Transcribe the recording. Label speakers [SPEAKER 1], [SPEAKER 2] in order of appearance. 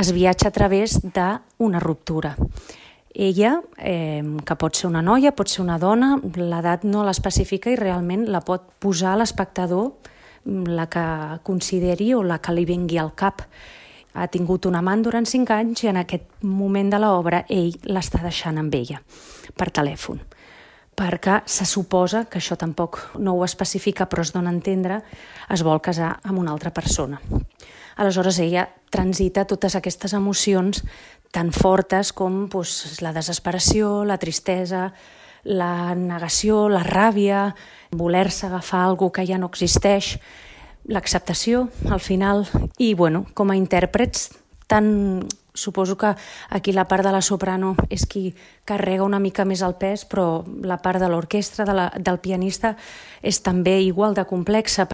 [SPEAKER 1] es viatja a través d'una ruptura. Ella, que pot ser una noia, pot ser una dona, l'edat no l'especifica i realment la pot posar a l'espectador la que consideri o la que li vingui al cap. Ha tingut un amant durant 5 anys i en aquest moment de l'obra ell l'està deixant amb ella per telèfon, perquè se suposa, que això tampoc no ho especifica però es dona a entendre, es vol casar amb una altra persona. Aleshores ella transita totes aquestes emocions tan fortes com la desesperació, la tristesa, la negació, la ràbia, voler-se agafar alguna que ja no existeix, l'acceptació al final i com a intèrprets suposo que aquí la part de la soprano és qui carrega una mica més el pes, però la part de l'orquestra, del pianista, és també igual de complexa.